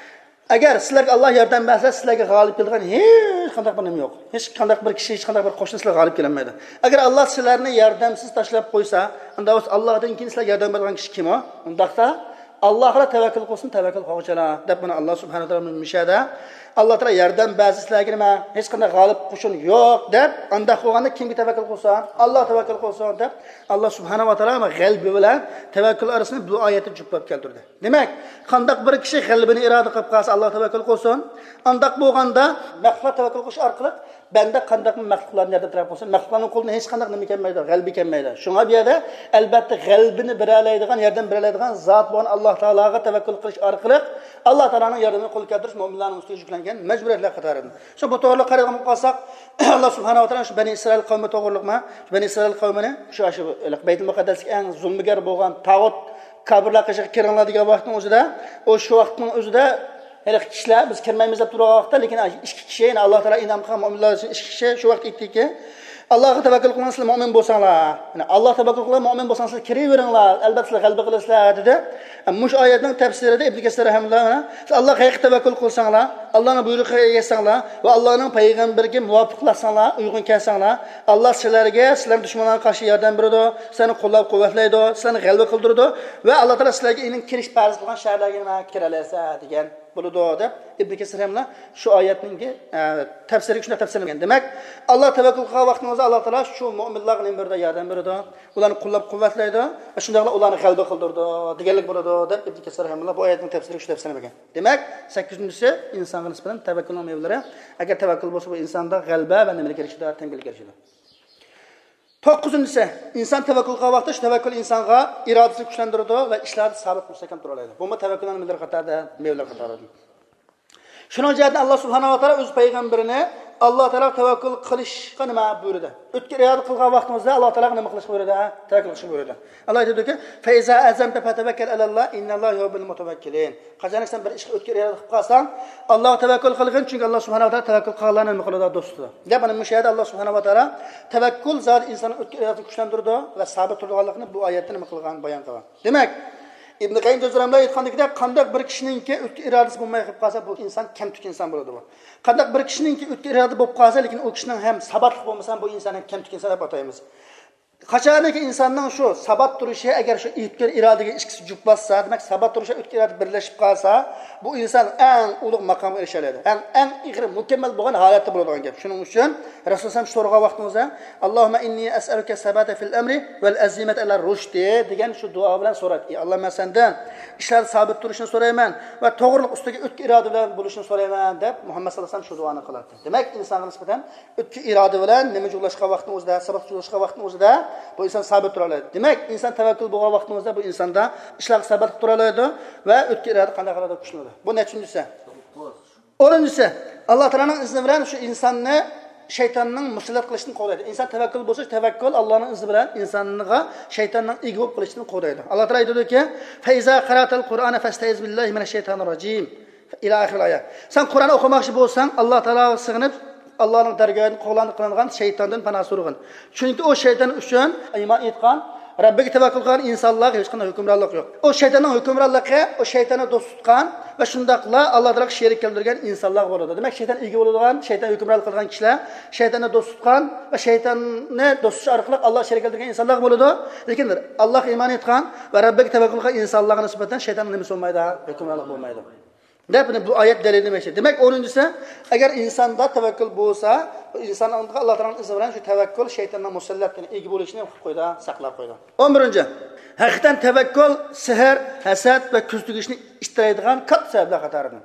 ئەگەر سىلەرگە ئاللا ياردەم بەرسە، سىلەرگە غالىب كېلىدىغان ھېچ قانداق بىر نېمە يوق. ھېچ قانداق بىر كىشى، ھېچ قانداق بىر قوشنا سىلەرگە غالىب كېلەلمەيدۇ. ئەگەر ئاللا سىلەرنى ياردەمسىز تاشلاپ قويسا، ئۇندا بولسا ئاللادىن كېيىن سىلەرگە ياردەم بېرىدىغان كىشى كىم ئۇ؟ ئۇنداقتا ئاللاغا تەۋەككۈل قىلسۇن، تەۋەككۈل قىلغۇچىلار، دەپ مانا ئاللا سۇبھانەھۇ ۋە تائالا مۇشۇ يەردە، ئاللا تائالا ياردەم بەرسە سىلەرگە نېمە، ھېچ قانداق غالىب قوشۇن يوق، دەپ، ئانداق بولغاندا كىمگە تەۋەككۈل قىلسۇن؟ ئاللاغا تەۋەككۈل قىلسۇن، دەپ ئاللا سۇبھانەھۇ ۋە تائالا غەلىبە بىلەن تەۋەككۈل ئارىسىنى بۇ ئايەتتە جۈپلاپ كەلتۈردى. دېمەك، قانداق بىر كىشى غەلىبىنى ئىرادە قىلىپ قالسا، ئاللاغا تەۋەككۈل قىلسۇن. ئانداق بولغاندا، مەخلۇققا تەۋەككۈل قىلىش ئارقىلىق بەندە قانداقمۇ مەخلۇقلارنى ياردەم تەلەپ قىلسۇن، مەخلۇقلارنىڭ قولىدىن ھېچقانداق نېمە كەلمەيدۇ، غەلىبە كەلمەيدۇ. شۇڭا بۇ يەردە ئەلبەتتە غەلىبىنى بېرەلەيدىغان، ياردەم بېرەلەيدىغان زات بولغان ئاللا تائالاغا تەۋەككۈل قىلىش ئارقىلىق ئاللا تائالانىڭ ياردىمىنى قولغا كەلتۈرۈش مۆمىنلارنىڭ ئۈستىگە يۈكلەنگەن مەجبۇرىيەتلەر قاتارىدىن. شۇ بۇ توغرىلىق قارايدىغان بولۇپ قالساق، ئاللا سۇبھانەھۇ ۋە تائالا شۇ بەنى ئىسرائىل قەۋمى توغرىلىقمۇ، شۇ بەنى ئىسرائىل قەۋمىنى شۇ، شۇ بەيتۇل مۇقەددەسكە ئەڭ زۇلمىگەر بولغان تاغۇت كاپىرلار قېشىغا كىرىڭلار دېگەن ۋاقىتنىڭ ئۆزىدە، ئۇ شۇ ۋاقىتنىڭ ئۆزىدە ھېلىقى كىشىلەر بىز كىرمەيمىز دەپ تۇرغان ۋاقىتتا، لېكىن ئىككى كىشى، يەنى ئاللا تائالا ئىنئام قىلغان مۆمىنلەر ئۈچۈن ئىككى كىشى شۇ ۋاقىت ئېيتتىكى، ئاللاغا تەۋەككۈل قىلىڭ، سىلەر مۆمىن بولساڭلار. يەنى ئاللاغا تەۋەككۈل قىلىڭ، مۆمىن بولساڭ، سىلەر كىرىۋېرىڭلار، ئەلبەتتە سىلەر غەلىبە قىلىسىلەر، دېدى. مۇشۇ ئايەتنىڭ تەپسىرىدە ئىبن كەسىر رەھىمەھۇللا، سىلەر ئاللاغا ھەقىقىي تەۋەككۈل قىلساڭلار، ئاللانىڭ بۇيرۇقىغا ئەگەشسەڭلار ۋە ئاللانىڭ پەيغەمبىرىگە مۇۋاپىقلاشساڭلار، ئۇيغۇن كەلسەڭلار، ئاللا سىلەرگە، سىلەرنىڭ دۈشمەنلەرگە قارشى ياردەم بېرىدۇ، سىلەرنى قوللاپ قۇۋۋەتلەيدۇ، سىلەرنى غەلىبە قىلدۇرىدۇ ۋە ئاللا تائالا سىلەرگە ئېنىڭ كىرىش پەرز قىلغان شەھەرلەرگە نېمە كىرەلەيسىلەر دېگەن بولىدۇ، دەپ ئىبن كەسىر رەھىمەھۇللا شۇ ئايەتنىڭكى، ئە، تەپسىرىگە شۇنداق تەپسىرلىگەن. دېمەك، ئاللا تەۋەككۈل قىلغان ۋاقتىڭىزدا ئاللا تائالا شۇ مۆمىنلارغا نېمە بېرىدۇ؟ ياردەم بېرىدۇ. ئۇلارنى قوللاپ قۇۋۋەتلەيدۇ ۋە شۇنداقلا ئۇلارنى غەلىبە قىلدۇرىدۇ دېگەنلىك بولىدۇ، دەپ ئىبن كەسىر رەھىمەھۇللا بۇ ئايەتنىڭ تەپسىرىگە شۇ تەپسىرنى بەرگەن. دېمەك، سەككىزىنچىسى ئىنسانغا نىسبەتەن تەۋەككۈلنىڭ مېۋىلىرى. ئەگەر تەۋەككۈل بولسا، بۇ ئىنساندا غەلىبە ۋە نېمىلەر كېلىشىدۇ؟ تەمكىنلىك كېلىشىدۇ. توققۇزىنچىسى، ئىنسان تەۋەككۈل قىلغان ۋاقىتتا شۇ تەۋەككۈل ئىنسانغا ئىرادىسىنى كۈچلەندۈرىدۇ ۋە ئىشلاردا سابىت مۇستەھكەم تۇرالايدۇ. بۇمۇ تەۋەككۈلنىڭ نېمىلىرى قاتارىدا، مېۋىلىرى قاتارىدا. شۇنىڭ جەھەتتىن ئاللا سۇبھانەھۇ ۋە تائالا ئۆز پەيغەمبىرىنى ئاللا تائالاغا تەۋەككۈل قىلىشقا نېمە بۇيرۇدى؟ ئۆتكە ئىرادە قىلغان ۋاقتىمىزدا ئاللا تائالاغا نېمە قىلىشقا بۇيرۇدى؟ تەۋەككۈل قىلىشقا بۇيرۇدى. ئاللا ئېيتىدۇكى، فَإِذَا عَزَمْتَ فَتَوَكَّلْ عَلَى اللَّهِ إِنَّ اللَّهَ يُحِبُّ الْمُتَوَكِّلِينَ. قاچانكى سەن بىر ئىشقا ئۆتكە ئىرادە قىلىپ قالساڭ، ئاللاغا تەۋەككۈل قىلغىن، چۈنكى ئاللا سۇبھانەھۇ ۋە تائالا تەۋەككۈل قىلغانلارنى نېمە قىلىدۇ؟ دوست تۇتىدۇ. دەپ، مانا مۇشۇ يەردە ئاللا سۇبھانەھۇ ۋە تائالا تەۋەككۈل زادى ئىنساننىڭ ئۆتكە ئىرادىسىنى كۈچلەندۈرىدۇ ۋە سابىت تۇرىدىغانلىقىنى بۇ ئايەتتە نېمە قىلغان، بايان قىلغان. دېمەك، ئىبن قەييىم جەۋزىي رەھىمەھۇللا ئېيتقاندىكىدەك، قانداق بىر كىشىنىڭكى ئۆتكە ئىرادىسى بولماي قېلىپ قالسا، بۇ ئىنسان كەمتۈك ئىنسان بولىدۇ بۇ. قانداق بىر كىشىنىڭكى ئۆتكە ئىرادە بولۇپ قالسا، لېكىن ئۇ كىشىنىڭ ھەم ساباتلىق بولمىسا، بۇ ئىنسان ھەم كەمتۈك ئىنسان دەپ ئاتايمىز. قاچانكى ئىنساننىڭ شۇ سابات تۇرۇشى، ئەگەر شۇ ئۆتكە ئىرادىگە ئىككىسى جۈپ باسسا، دېمەك، سابات تۇرۇش، ئۆتكە ئىرادە بىرلەشىپ قالسا، بۇ ئىنسان ئەڭ ئۇلۇغ ماقامغا ئېرىشەلەيدۇ. ئەڭ، ئەڭ ئېغىر، مۇكەممەل بولغان ھالەتتە بولىدىغان گەپ. شۇنىڭ ئۈچۈن رەسۇل ئەلەيھىسسالام سورىغان ۋاقتىمىزدا، اللَّهُمَّ إِنِّي أَسْأَلُكَ الثَّبَاتَ فِي الْأَمْرِ وَالْعَزِيمَةَ عَلَى الرُّشْدِ دېگەن شۇ دۇئا بىلەن سورايتتى. ئى ئاللا، مەن سەندىن ئىشلاردا سابىت تۇرۇشنى سورايمەن ۋە توغرىلىق ئۈستىگە ئۆتكە ئىرادە بىلەن بولۇشنى سورايمەن، دەپ مۇھەممەد ساللاللاھۇ ئەلەيھى ۋەسەللەم شۇ دۇئانى قىلاتتى. دېمەك، ئىنسانغا نىسبەتەن ئۆتكە ئىرادە بىلەن نېمە جۇغلاشقان ۋاقتىنىڭ ئۆزىدە، سابات جۇغلاشقان ۋاقتىنىڭ ئۆزىدە بۇ ئىنسان سابىت تۇرالايدۇ. دېمەك، ئىنسان تەۋەككۈل بولغان ۋاقتىنىڭ ئۆزىدە بۇ ئىنساندا ئىشلارغا ساباتلىق تۇرالايدۇ ۋە ئۆتكە ئىرادە قانداق قىلىدۇ؟ كۈچلىنىدۇ. بۇ نەچچىنچىسى؟ ئونىنچىسى، ئاللا تائالانىڭ ئىزنى بىلەن شۇ ئىنساننى شەيتاننىڭ مۇسەللەت قىلىشىدىن قوغدايدۇ. ئىنسان تەۋەككۈل بولسا، تەۋەككۈل ئاللانىڭ ئىزنى بىلەن ئىنسانغا شەيتاننىڭ ئىگە بولۇپ قېلىشىدىن قوغدايدۇ. ئاللا تائالا ئېيتىدۇكى، فَإِذَا قَرَأْتَ الْقُرْآنَ فَاسْتَعِذْ بِاللَّهِ مِنَ الشَّيْطَانِ الرَّجِيمِ. إلى آخر الآية. سەن قۇرئان ئوقۇماقچى بولساڭ، ئاللا تائالاغا سىغىنىپ، ئاللانىڭ دەرگاھىدىن قوغلان-، قىلىنغان شەيتاندىن پاناھ سورىغىن. چۈنكى ئۇ شەيتان ئۈچۈن ئىمان ئېيتقان، رەببىگە تەۋەككۈل قىلغان ئىنسانلارغا ھېچقانداق ھۆكۈمرانلىق يوق. ئۇ شەيتاننىڭ ھۆكۈمرانلىقى، ئۇ شەيتاننى دوست تۇتقان ۋە شۇنداقلا ئاللا تائالاغا شېرىك كەلتۈرگەن ئىنسانلارغا بولىدۇ. دېمەك، شەيتان ئىگە بولىدىغان، شەيتان ھۆكۈمرانلىق قىلغان كىشىلەر شەيتاننى دوست تۇتقان ۋە شەيتاننى دوست تۇتۇش ئارقىلىق ئاللاغا شېرىك كەلتۈرگەن ئىنسانلارغا بولىدۇ. لېكىن ئاللاغا ئىمان ئېيتقان ۋە رەببىگە تەۋەككۈل قىلغان ئىنسانلارغا نىسبەتەن شەيتاننىڭ نېمىسى بولمايدۇ؟ ھۆكۈمرانلىق بولمايدۇ. دەپ، بۇ ئايەت دەلىلى. دېمەك، ئونىنچىسى، ئەگەر ئىنساندا تەۋەككۈل بولسا، ئىنساندا ئاللا تائالانىڭ ئىزنى بىلەن شۇ تەۋەككۈل شەيتاننىڭ مۇسەللەت، يەنى ئىگە بولۇشىنى قىلىپ قويىدۇ، ساقلاپ قويىدۇ. ئون بىرىنچى، ھەقىقەتەن تەۋەككۈل سېھىر، ھەسەت ۋە كۆز تېگىشنى ئىتتىرەيدىغان كاتتا سەۋەبلەر قاتارىدىن.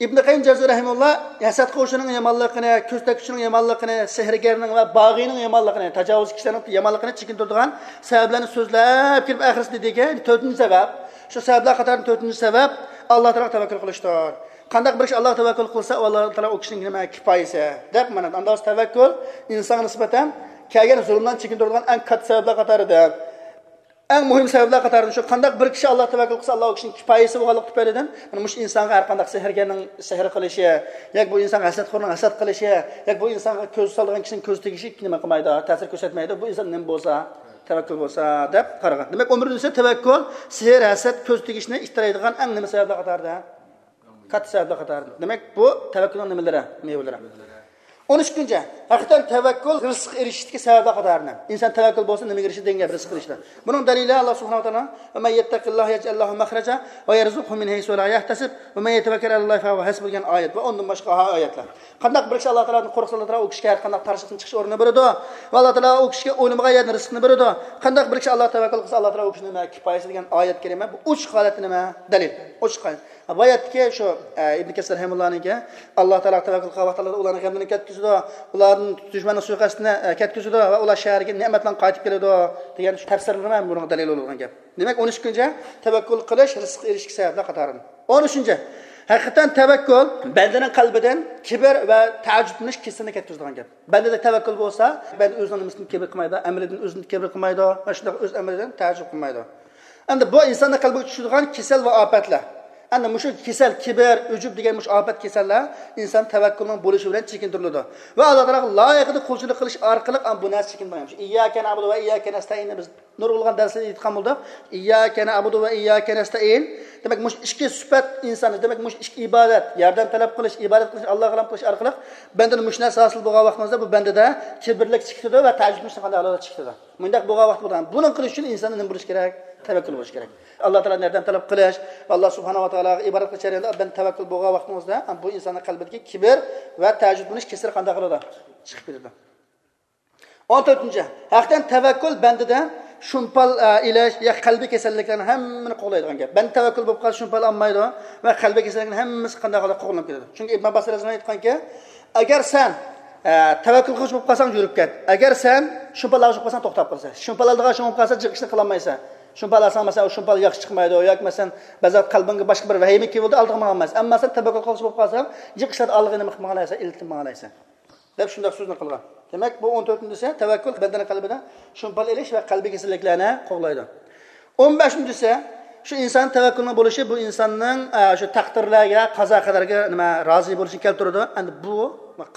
ئىبن قەييىم جەۋزىي رەھىمەھۇللا ھەسەت قىلغۇچىنىڭ يامانلىقىنى، كۆز تەگكۈچىنىڭ يامانلىقىنى، سېھىرگەرنىڭ ۋە باغىينىڭ يامانلىقىنى، تاجاۋۇزچى كىشىلەرنىڭ يامانلىقىنى چېكىندۈرىدىغان سەۋەبلەرنى سۆزلەپ كېلىپ، ئاخىرسىدا دېدىكى، تۆتىنچى سەۋەب، شۇ سەۋەبلەر قاتارىدىن تۆتىنچى سەۋەب، ئاللا تائالاغا تەۋەككۈل قىلىشتۇر. قانداق بىر كىشى ئاللاغا تەۋەككۈل قىلسا، ئۇ ئاللا تائالا ئۇ كىشىنىڭ نېمە كىپايىسى، دەپ مانا. ئاندىن تەۋەككۈل ئىنسانغا نىسبەتەن كەلگەن زۇلۇمدىن چېكىندۈرىدىغان ئەڭ كاتتا سەۋەبلەر قاتارىدىن. ئەڭ مۇھىم سەۋەبلەر قاتارىدىن شۇ، قانداق بىر كىشى ئاللاغا تەۋەككۈل قىلسا، ئاللا ئۇ كىشىنىڭ كىپايىسى بولغانلىقى تۈپەيلىدىن، مانا مۇشۇ ئىنسانغا ھەر قانداق سېھىرگەرنىڭ سېھىر قىلىشى، ياكى بۇ ئىنسانغا ھەسەتخورنىڭ ھەسەت قىلىشى، ياكى بۇ ئىنسانغا كۆز سالىدىغان كىشىنىڭ كۆز تېگىشى نېمە قىلمايدۇ، تەسىر كۆرسەتمەيدۇ. بۇ ئىنسان نېمە بولسا، تەۋەككۈل بولسا دەپ قارىغان. دېمەك، ئون بىرىنچىسى تەۋەككۈل، سېھىر، ھەسەت، كۆز تېگىشنى ئىتتىرەيدىغان ئەڭ نېمە سەۋەبلەر قاتارىدا؟ كاتتا سەۋەبلەر قاتارىدا. دېمەك، بۇ تەۋەككۈلنىڭ نېمىلىرى؟ مېۋىلىرى. ئون ئىككىنچى، ھەقىقەتەن تەۋەككۈل رىزىققا ئېرىشىشتىكى سەۋەبلەر قاتارىدىن. ئىنسان تەۋەككۈل بولسا، نېمىگە ئېرىشىدۇ دېگەن گەپ، رىزىق ئېرىشىدۇ. بۇنىڭ دەلىلى ئاللا سۇبھانەھۇ ۋە تائالا، وَمَن يَتَّقِ اللَّهَ يَجْعَل لَّهُ مَخْرَجًا وَيَرْزُقْهُ مِنْ حَيْثُ لَا يَحْتَسِبُ وَمَن يَتَوَكَّلْ عَلَى اللَّهِ فَهُوَ حَسْبُهُ دېگەن ئايەت ۋە ئۇندىن باشقا ئايەتلەر. قانداق بىر كىشى ئاللا تائالادىن قورقسا، ئاللا تائالا ئۇ كىشىگە ھەر قانداق تارىشلىقتىن چىقىش ئورنىنى بېرىدۇ ۋە ئاللا تائالا ئۇ كىشىگە ئويلىمىغان يەردىن رىزقىنى بېرىدۇ. قانداق بىر كىشى ئاللاغا تەۋەككۈل قىلسا، ئاللا تائالا ئۇ كىشىنى نېمە؟ كىپايىسى دېگەن ئايەت كەرىمە، بۇ ئوچۇق ھالەتتە نېمە؟ دەلىل. ئوچۇق ھالەت. بۇ ئايەتتىكى شۇ، ئە، ئىبن كەسىر رەھىمۇللانىڭكى، ئاللا تائالاغا تەۋەككۈل قىلغان ۋاقىتلاردا ئۇلارنىڭ غەملىرىنى كەتكۈز ئۇلاردىن دۈشمەننىڭ سۇيىقەستىنى، ئە، كەتكۈزىدۇ ۋە ئۇلار شەھەرگە نېمەت بىلەن قايتىپ كېلىدۇ دېگەن شۇ تەپسىرلىرىمۇ ھەم بۇنىڭغا دەلىل بولىدىغان گەپ. دېمەك، ئون ئۈچ كۈنچە تەۋەككۈل قىلىش رىزىققا ئېرىشىشكە سەۋەبلەر قاتارىدىن. ئون ئۈچىنچى، ھەقىقەتەن تەۋەككۈل بەندىنىڭ قەلبىدىن كىبىر ۋە تەئەججۈبلىنىش كېسىلىنى كەتكۈزىدىغان گەپ. بەندىدە تەۋەككۈل بولسا، بەندە ئۆزىنىڭ نېمىسىدىن كىبىر قىلمايدۇ، ئەمىلىدىن ئۆزىدىن كىبىر قىلمايدۇ ۋە شۇنداق ئۆز ئەمىلىدىن تەئەججۈب قىلمايدۇ. ئەمدى بۇ ئىنساننىڭ قەلبىگە چۈشىدىغان كېسەل ۋە ئاپەتلەر. ئەمدى مۇشۇ كېسەل، كىبىر، ئۇجۇب دېگەن مۇشۇ ئاپەت كېسەللەر ئىنسان تەۋەككۈلنىڭ بولۇشى بىلەن چېكىندۈرۈلىدۇ. ۋە ئاللا تائالاغا لايىقىدا قۇلچىلىق قىلىش ئارقىلىق بۇ نەرسە چېكىندۈرۈلگەن. شۇ ئىيياكە نەئبۇدۇ ۋە ئىيياكە نەستەئىننى بىز نۇرغۇنلىغان دەرسلەردە ئېيتقان بولدۇق. ئىيياكە نەئبۇدۇ ۋە ئىيياكە نەستەئىن. دېمەك، مۇشۇ ئىككى سۈپەت ئىنساننى، دېمەك، مۇشۇ ئىككى ئىبادەت، ياردەم تەلەپ قىلىش، ئىبادەت قىلىش، ئاللاغا غۇلام قىلىش ئارقىلىق بەندىدىن مۇشۇ نەرسە ھاسىل بولغان ۋاقتىمىزدا بۇ بەندىدە كىبىرلىك چىقىدۇ ۋە تەئەججۈبلىنىشنى قانداق ھالدا چىقىدۇ. مۇنداق بولغان ۋاقتى بولىدىغان. بۇنىڭ قىلىش ئۈچۈن ئىنساندا نېمە بولۇش كېرەك؟ تەۋەككۈل بولۇش كېرەك. ئاللا تائالادىن ياردەم تەلەپ قىلىش، ئاللا سۇبھانەھۇ ۋە تائالاغا ئىبادەت قىلىش جەريانىدا بەندە تەۋەككۈل بولغان ۋاقتىڭىزدا، بۇ ئىنساننىڭ قەلبىدىكى كىبىر ۋە تەئەججۈبلىنىش كېسىلى قانداق قىلىدۇ؟ چىقىپ كېتىدۇ. ئون تۆتىنچى، ھەقىقەتەن تەۋەككۈل بەندىدە شۇمپال، ئە، ئېلىش يا قەلبىي كېسەللىكلەرنى ھەممىنى قوغلايدىغان گەپ. بەندە تەۋەككۈل بولۇپ قالسا شۇمپال ئالمايدۇ ۋە قەلبىي كېسەللىكنىڭ ھەممىسى قانداق قىلىدۇ؟ قوغلىنىپ كېتىدۇ. چۈنكى ئىبن ئابباس رەزىياللاھۇ ئەنھۇ ئېيتقانكى، ئەگەر سەن، ئە، تەۋەككۈل قىلغۇچى بولۇپ قالساڭ يۈرۈپ كەت. ئەگەر سەن شۇمپال ئالغۇچى بولۇپ قالساڭ توختاپ قالىسەن. شۇمپال ئالىدىغان ئىشىڭ بولۇپ قالسا جىق ئىشنى قىلالمايسەن. شۇمپال ئالساڭ مەسىلەن، ئۇ شۇمپال ياخشى چىقمايدۇ ياكى مەسىلەن، بەزى قەلبىڭگە باشقا بىر ۋەھىمە كېلىۋالىدۇ، ئالدىغا ماڭالمايسەن. ئەمما سەن تەۋەككۈل قىلغۇچى بولۇپ قالساڭ جىق ئىشلاردا ئالدىغا نېمە قىلىپ ماڭالايسەن؟ ئىلتىنىپ ماڭالايسەن. دەپ شۇنداق سۆزنى قىلغان. دېمەك، بۇ ئون تۆتىنچىسى تەۋەككۈل بەندىنىڭ قەلبىدە شۇمپال ئېلىش ۋە قەلبىي كېسەللىكلەرنى قوغلايدۇ. ئون بەشىنچىسى، شۇ ئىنسان تەۋەككۈلنىڭ بولۇشى بۇ ئىنساننىڭ، ئە، شۇ تەقدىرلەرگە، قازا قەدەرگە نېمە، رازى بولۇشىنى كەلتۈرىدۇ. ئەمدى بۇ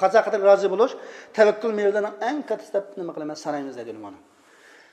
قازا قەدەرگە رازى بولۇش تەۋەككۈل مېۋىلىرىنىڭ ئەڭ كاتتىسى دەپ نېمە قىلىمىز، سانايمىز دەيدۇ ئۆلىمالار.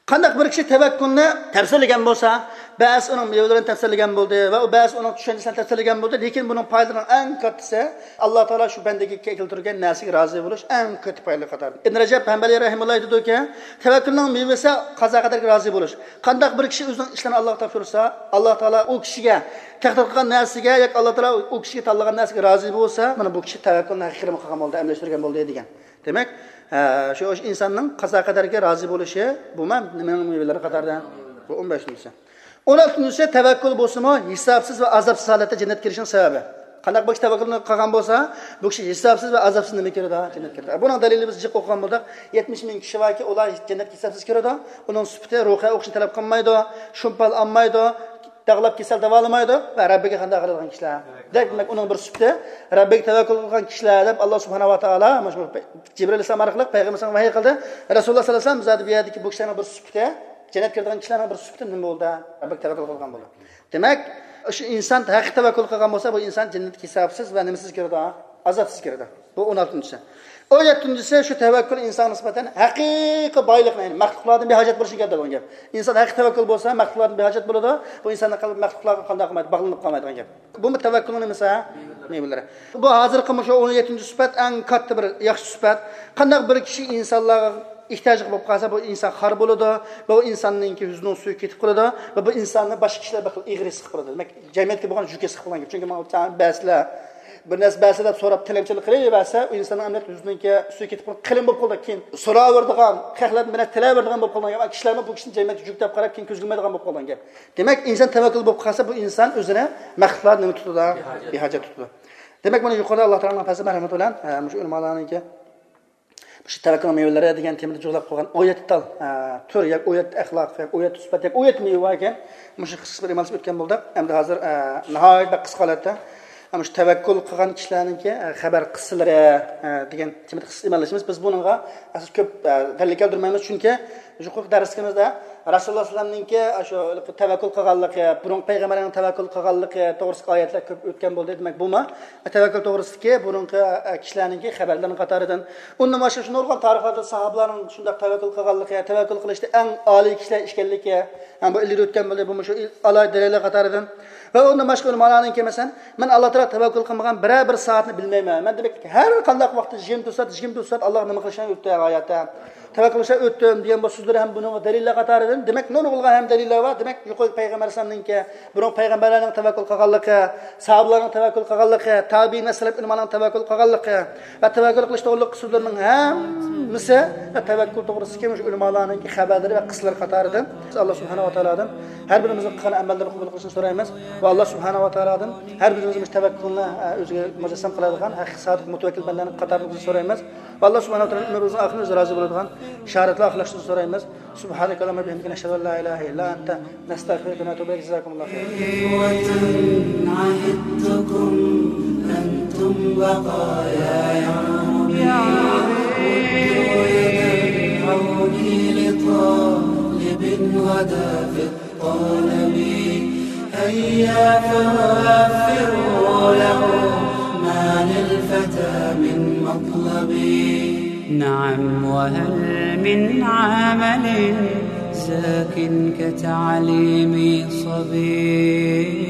قانداق بىر كىشى تەۋەككۈلنى تەپسىلىگەن بولسا، بەزى ئۇنىڭ مېۋىلىرىنى تەپسىلىگەن بولدى ۋە ئۇ بەزى ئۇنىڭ چۈشەنچىسىنى تەپسىلىگەن بولدى، لېكىن بۇنىڭ پايدىلىرىنىڭ ئەڭ كاتتىسى، ئاللا تائالا شۇ بەندىگە كەلتۈرگەن نەرسىگە رازى بولۇش ئەڭ كاتتا پايدىلىق قاتارىدىن. ئىبن رەجەب ھەمبەلى رەھىمۇللا ئېيتىدۇكى، تەۋەككۈلنىڭ مېۋىسى قازا قەدەرگە رازى بولۇش. قانداق بىر كىشى ئۆزىنىڭ ئىشلىرىنى ئاللاغا تاپشۇرسا، ئاللا تائالا ئۇ كىشىگە تەقدىر قىلغان نەرسىگە ياكى ئاللا تائالا ئۇ كىشىگە تاللىغان نەرسىگە رازى بولسا، مانا بۇ كىشى تەۋەككۈلنى ھەقىقىي قىلغان بولدى، ئەمەلىيلەشتۈرگەن بولدى دېگەن. دېمەك، ئە، شۇ ئىنساننىڭ قازا قەدەرگە رازى بولۇشى، بۇمۇ نېمىنىڭ مېۋىلىرى قاتارىدا؟ بۇ ئون بەشىنچىسى. ئون ئالتىنچىسى، تەۋەككۈل بولسىمۇ ھېسابسىز ۋە ئازابسىز ھالەتتە جەننەتكە كىرىشنىڭ سەۋەبى. قانداق بىر كىشى تەۋەككۈل قىلغان بولسا، بۇ كىشى ھېسابسىز ۋە ئازابسىز نېمە كىرىدۇ؟ جەننەتكە كىرىدۇ. بۇنىڭ دەلىلى بىز جىق ئوقۇغان بولدۇق. يەتمىش مىڭ كىشى باركى، ئۇلار جەننەتكە ھېسابسىز كىرىدۇ. ئۇنىڭ سۈپىتى رۇقىيە ئوقۇشنى تەلەپ قىلمايدۇ، شۇمپال ئالمايدۇ، داغلاپ كېسەل داۋالىمايدۇ ۋە رەببىگە قانداق قىلىدىغان كىشىلەر؟ دەپ، دېمەك، ئۇنىڭ بىر سۈپىتى رەببىگە تەۋەككۈل قىلغان كىشىلەر دەپ، ئاللا سۇبھانەھۇ ۋە تائالا مانا شۇ جىبرىل ئەلەيھىسسالام ئارقىلىق پەيغەمبىرىمىزگە ۋەھىي قىلدى. رەسۇلۇللا سەللەللاھۇ ئەلەيھى ۋەسەللەم زادى بۇ يەردىكى بۇ كىشىلەرنىڭ بىر سۈپىتى، جەننەتكە كىرىدىغان كىشىلەرنىڭ بىر سۈپىتى نېمە بولدى؟ رەببىگە تەۋەككۈل قىلغان بولدى. دېمەك، شۇ ئىنسان ھەقىقىي تەۋەككۈل قىلغان بولسا، بۇ ئىنسان جەننەتكە ھېسابسىز ۋە نېمىسىز كىرىدۇ؟ ئازابسىز كىرىدۇ. بۇ ئون ئالتىنچىسى. ئون يەتتىنچىسى، شۇ تەۋەككۈل ئىنسانغا نىسبەتەن ھەقىقىي بايلىقنى، يەنى مەخلۇقلاردىن بىھاجەت بولۇشنى كەلتۈرىدىغان گەپ. ئىنسان ھەقىقىي تەۋەككۈل بولسا، مەخلۇقلاردىن بىھاجەت بولىدۇ. بۇ ئىنساننىڭ قەلبى مەخلۇقلارغا قانداق قىلمايدۇ؟ باغلىنىپ قالمايدىغان گەپ. بۇمۇ تەۋەككۈلنىڭ نېمىسى؟ مېۋىلىرى. بۇ ھازىرقى مۇشۇ ئون يەتتىنچى سۈپەت ئەڭ كاتتا بىر ياخشى سۈپەت. قانداق بىر كىشى ئىنسانلارغا ئېھتىياجلىق بولۇپ قالسا، بۇ ئىنسان خار بولىدۇ. بۇ ئىنساننىڭكى يۈزىنىڭ سۈيى كېتىپ قالىدۇ ۋە بۇ ئىنساننى باشقا كىشىلەر بىر خىل ئېغىر ھېس قىلىپ قالىدۇ. دېمەك، جەمئىيەتكە بولغان يۈكى ھېس قىلىپ قالغان گەپ. چۈنكى ماڭا بەرسىلە، بىر نەرسە بەرسە دەپ سوراپ، تىلەمچىلىك قىلىۋەرسە، ئۇ ئىنساننىڭ ئەمەلىيەتتە يۈزىنىڭكى سۈيى كېتىپ قالىدۇ، قېلىن بولۇپ قالىدۇ. كېيىن سوراۋېرىدىغان، خەقلەردىن بىر نەرسە تىلەۋېرىدىغان بولۇپ قالغان گەپ. كىشىلەرمۇ بۇ كىشىنى جەمئىيەتكە يۈك دەپ قاراپ، كېيىن كۆزگە ئىلمايدىغان بولۇپ قالغان گەپ. دېمەك، ئىنسان تەۋەككۈل بولۇپ قالسا، بۇ ئىنسان ئۆزىنى مەخلۇقلار نېمە تۇتىدۇ؟ بىھاجەت تۇتىدۇ. دېمەك، مانا يۇقىرىدا ئاللا تائالانىڭ پەزلى مەرھەمىتى بىلەن، ئە، مۇشۇ ئۆلىمالارنىڭكى مۇشۇ تەۋەككۈلنىڭ مېۋىلىرى دېگەن تېمىدا جۇغلاپ قويغان ئون يەتتە تال، ئە، تۈر ياكى ئون يەتتە ئەخلاق ياكى ئون يەتتە سۈپەت ياكى ئون يەتتە مېۋە بار ئىكەن، مۇشۇ قىسقا بىر ئىمالىسى ئۆتكەن بولدۇق. ئەمدى ھازىر، ئە، ناھايىتى بەك قىسقا ھالەتتە، ئە، مۇشۇ تەۋەككۈل قىلغان كىشىلەرنىڭكى، ئە، خەۋەر قىسسىلىرى، ئە، دېگەن تېمىدا قىسقا ئىمالىشىمىز. بىز بۇنىڭغا ئاساس كۆپ، ئە، دەلىل كەلتۈرمەيمىز، چۈنكى يۇقىرىقى دەرسلىكىمىزدە رەسۇلۇللا سەللەمنىڭكى شۇ تەۋەككۈل قىلغانلىقى، بۇرۇنقى پەيغەمبەرلەرنىڭ تەۋەككۈل قىلغانلىقى توغرىسىدىكى ئايەتلەر كۆپ ئۆتكەن بولدى. دېمەك، بۇمۇ تەۋەككۈل توغرىسىدىكى بۇرۇنقى، ئە، كىشىلەرنىڭكى خەۋەرلىرىنىڭ قاتارىدىن. ئۇندىن باشقا شۇ نۇرغۇن تارىخلاردا ساھابىلەرنىڭ شۇنداق تەۋەككۈل قىلغانلىقى، تەۋەككۈل قىلىشتا ئەڭ ئالىي كىشىلەر ئىكەنلىكى، ھەم بۇ ئىلگىرى ئۆتكەن بولدى، بۇمۇ شۇ ئىل-، ئالاھىدە دەلىللەر قاتارىدىن. ۋە ئۇندىن باشقا ئۆلىمالارنىڭكى، مەسىلەن، مەن ئاللا تائالا تەۋەككۈل قىلمىغان بىرەر بىر سائەتنى بىلمەيمەن. مەن، دېمەك، ھەر قانداق ۋاقىتتا يىگىرمە تۆت سائەت، يىگىرمە تۆت سائەت ئاللاغا نېمە قىلىشنى ئۆتتى ھاياتتا. تەۋەككۈل قىلىشنى ئۆتتۈم دېگەن بۇ سۆزلىرى ھەم بۇنىڭغا دەلىللەر قاتارىدىن. دېمەك، نۇرغۇنلىغان ھەم دەلىللەر بار. دېمەك، يۇقىرى پەيغەمبەر ئەلەيھىسسالامنىڭكى، بۇرۇن پەيغەمبەرلەرنىڭ تەۋەككۈل قىلغانلىقى، ساھابىلارنىڭ تەۋەككۈل قىلغانلىقى، تابىئىن ۋە سەلەپ ئۆلىمالارنىڭ تەۋەككۈل قىلغانلىقى ۋە تەۋەككۈل قىلىش توغرىلىق سۆزلىرىنىڭ ھەممىسى ۋە تەۋەككۈل توغرىسىدىكى مۇشۇ ئۆلىمالارنىڭكى خەۋەرلىرى ۋە قىسسىلىرى قاتارىدىن. بىز ئاللا سۇبھانەھۇ ۋە تائالادىن ھەر بىرىمىزنىڭ قىلغان ئەمەللىرىنى قوبۇل قىلىشىنى سورايمىز ۋە ئاللا سۇبھانەھۇ ۋە تائالادىن ھەر بىرىمىز مۇشۇ تەۋەككۈلنى، ئە، ئۆزىگە مۇجەسسەم قىلىدىغان ھەقىقىي سادىق مۇتەۋەككىل بەندىلەرنىڭ قاتارىدا بولۇشنى سورايمىز. ئاللا سۇبھانەھۇ ۋە تائالا ئۆمرىمىزنىڭ ئاخىرىنى ئۆزى رازى بولىدىغان شاھادەتلەر ئاخىرلاشتۇرۇشنى سورايمىز. سبحانك اللهم وبحمدك، نشهد أن لا إله إلا أنت، نستغفرك ونتوب إليك. جزاكم الله خيرا. عهدتكم أنتم بقايا يا ربي، ردوا يد العون لطالب غدا في الطلب. هيا فوفروا له ما للفتى من مطلب. نعم، وهل من عمل زاك كتعليم صبي؟